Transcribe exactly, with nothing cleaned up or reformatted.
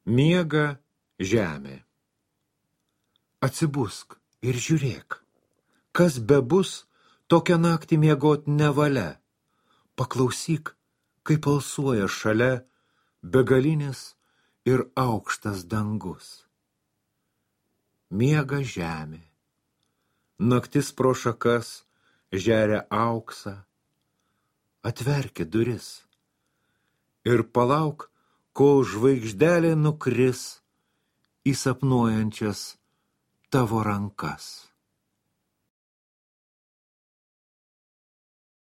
Miega žemė. Atsibusk ir žiūrėk, kas bebus, tokią naktį miegot nevalia. Paklausyk, kaip alsuoja šalia begalinis ir aukštas dangus. Miega žemė. Naktis pro šakas žeria auksą. Atverki duris ir palauk, kol žvaigždelė nukris į sapnuojančias tavo rankas.